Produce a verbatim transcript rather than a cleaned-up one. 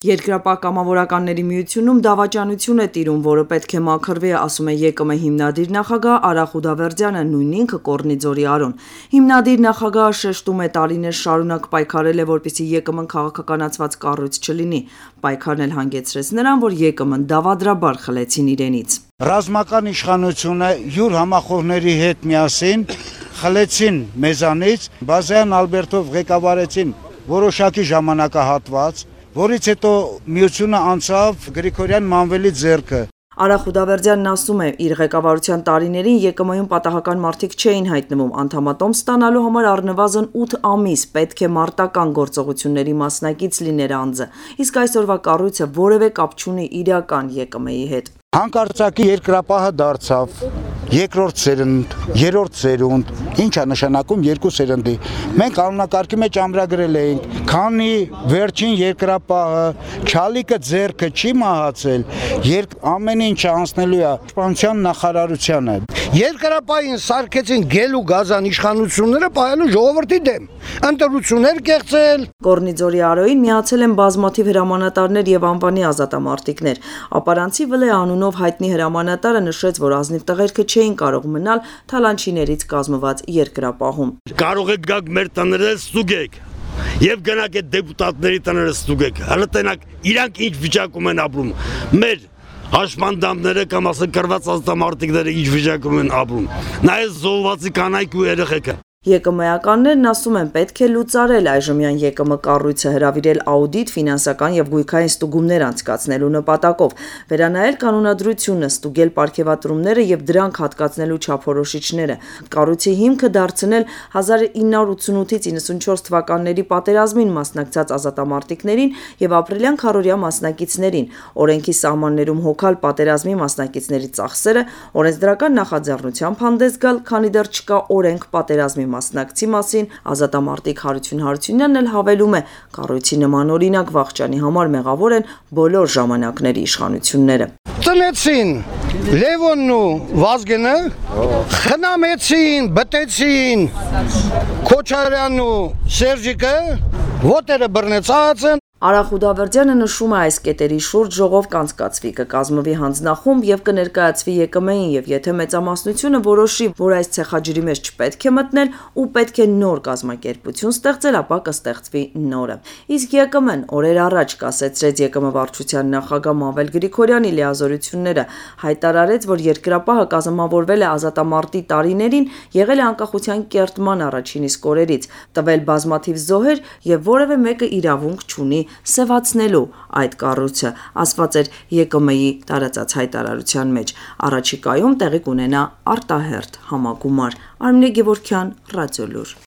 Երկրապահ կամավորականների միությունում դավաճանություն է տիրում, որը պետք է մաքրվի, ասում է ԵԿՄ հիմնադիր նախագահ Արա Խուդավերդյանը, նույն ինքը Կոռնիձորի Արոն։ Հիմնադիր նախագահը շեշտում է տարիներ շարունակ պայքարել է, որպեսզի ԵԿՄ-ն քաղաքականացված կառույց չլինի։ Պայքարն էլ հանգեցրեց նրան, որ ԵԿՄ-ն դավադրաբար խլեցին իրենից։ Ռազմական իշխանությունը յուր համախոհների հետ միասին խլեցին մեզանից, Բազյան Ալբերտով ղեկավարեցին որոշակի ժամանակահատված, որից հետո միությունը անցավ Գրիգորյան Մանվելի ձեռքը։ Արա Խուդավերդյանն ասում է, իր ղեկավարության տարիներին ԵԿՄ-ում պատահական մարդիկ չէին հայտնվում, անդամատոմ ստանալու համար առնվազն ութ ամիս պետք է մարտական գործողությունների մասնակից լիներ անձը, իսկ այսօրվա կառույցը որևէ կապ չունի իրական ԵԿՄ-ի հետ։ Հանկարծակի երկրապահը դարձավ երկրորդ սերունդ, երրորդ սերունդ, ինչ է նշանակում երկու սերնդի։ Մենք անունակարգի մեջ ամրագրել էինք, քանի վերջին երկրապահը չալիկը ձեռքը չի մահացել, երբ ամեն ինչը անցնելու է պաշտպանության նախարարությանը։ Երկրապահին սարքեցին գել ու գազան իշխանությունները պահելու ժողովրդի դեմ, ընտրություններ կեղծել։ Կոռնիձորի Արոյին միացել են բազմաթիվ հրամանատարներ եւ անվանի ազատամարտիկներ։ Ապարանցի Վլե անունով հայտնի հրամանատարը նշեց, որ ազնիվ տղերքը չէին կարող մնալ թալանչիներից կազմված երկրապահում։ Կարող եք գաք մեր տները ստուգեք եւ գնաք այդ դեպուտատների տները ստուգեք։ Հələ տենակ իրանք ինչ վիճակում են ապրում։ Մեր հաշմանդամները կամ ասել կրված ազատամարտիկները ինչ վիճակում են ապրում։ Նայես զոհվածի կանայք ու երեխեքը։ ԵԿՄ-ականներն ասում են, պետք է լուծարել այժմյան ԵԿՄ կառույցը, հրավիրել աուդիտ, ֆինանսական եւ գույքային ստուգումներ անցկացնելու նպատակով, վերանայել կանոնադրությունը, ստուգել պարգևատրումները եւ դրանք հատկացնելու չափորոշիչները, կառույցի հիմքը դարձնել հազար ինը հարյուր ութսունութից իննսունչորս թվականների պատերազմին մասնակցած ազատամարտիկներին եւ ապրիլյան քառօրյա մասնակիցներին, օրենքի սահմաններում հոգալ պատերազմի մասնակիցների ծախսերը, օրենսդրական նախաձեռնությամբ հանդես գալ, քանի դեռ չկա օրենք պատերազմի մասնակցի մասին, ազատամարտիկ Հարություն Հարությունյանն էլ հավելում է, կառույցի նման օրինակ վաղճանի համար մեղավոր են բոլոր ժամանակների իշխանությունները։ Ծնեցին Լևոնն ու Վազգենը, խնամեցին, բտեցին Քոչարյանն ու Սերժիկը, ոտերը բռնեցած են։ Արա Խուդավերդյանը նշում է, այս կետերի շուրջ ժողով կանցկացվի, կկազմվի հանձնախումբ եւ կներկայացվի ԵԿՄ-ին եւ եթե մեծամասնությունը որոշի, որ այս ցեխաջրի մեջ չպետք է մտնել ու պետք է նոր կազմակերպություն ստեղծել, ապա կստեղծվի նորը։ Իսկ ԵԿՄ-ն օրեր առաջ կասեցրեց ԵԿՄ վարչության նախագահ Մանվել Գրիգորյանի լիազորությունները, հայտարարեց, որ երկրապահը կազմավորվել է ազատամարտի տարիներին, եղել է անկախության կերտման առաջին իսկ օրերից, տվել բազմաթիվ զոհեր եւ որևէ մեկը իրավունք չունի սևացնելու այդ կառույցը, ասված էր ԵԿՄ-ի տարածած հայտարարության մեջ։ Առաջիկայում տեղի կունենա արտահերթ համագումար։ Արմինե Գևորգյան, Ռադիոլուր։